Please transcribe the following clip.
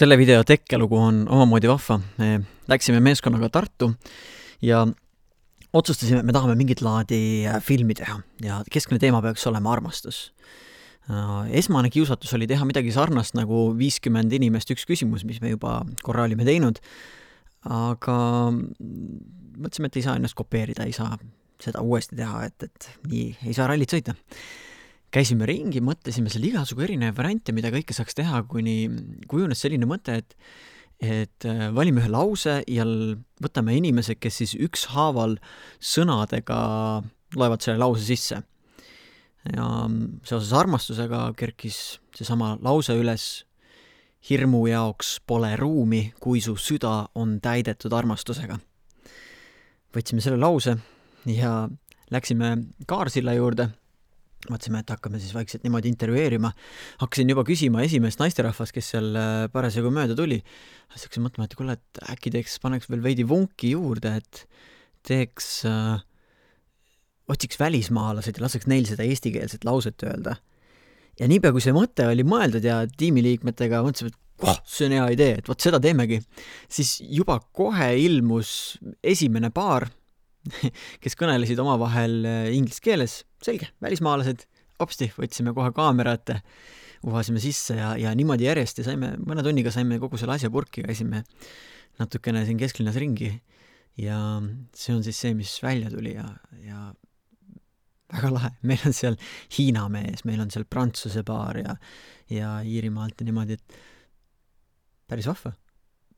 Selle video tekkelugu on omamoodi vahva. Me läksime meeskonnaga Tartu ja otsustasime, et me tahame mingit laadi filmi teha ja keskne teema peaks olema armastus. Esmane kiusatus oli teha midagi sarnast nagu 50 inimest üks küsimus, mis me juba korra olime teinud, aga mõtlesime, et ei saa ennast kopeerida, ei saa seda uuesti teha, et nii ei saa rallit sõita. Käisime ringi, mõtlesime seal igasugu erinevaid variante, mida kõike saaks teha, kuni kujunes selline mõte, et valime ühe lause ja võtame inimesed, kes siis ükshaaval sõnadega loevad selle lause sisse. Ja seoses armastusega kerkis seesama lause üles: hirmu jaoks pole ruumi, kui su süda on täidetud armastusega. Võtsime selle lause ja läksime Kaarsilla juurde. Mõtlesime, et hakkame siis vaikselt niimoodi intervjueerima. Hakkasin juba küsima esimest naisterahvast, kes seal parasjagu mööda tuli. Hakkasin mõtlema, et kuule, et äkki paneks veel veidi vunki juurde, et otsiks välismaalased ja laseks neil seda eestikeelset lauset öelda. Ja niipea, kui see mõte oli mõeldud ja tiimiliikmetega mõtlesime, et see on hea idee, et võt seda teemegi, siis juba kohe ilmus esimene paar, kes kõnelesid omavahel inglise keeles. Selge, välismaalased, opsti, võtsime kohe kaamerate, uhasime sisse ja niimoodi järjest ja mõne tunniga saime kogu selle asja purki, käisime natukene siin kesklinnas ringi ja see on siis see, mis välja tuli ja väga lahe. Meil on seal Hiina mees, meil on seal Prantsuse paar ja Iirimaalt ja niimoodi, et päris vahva.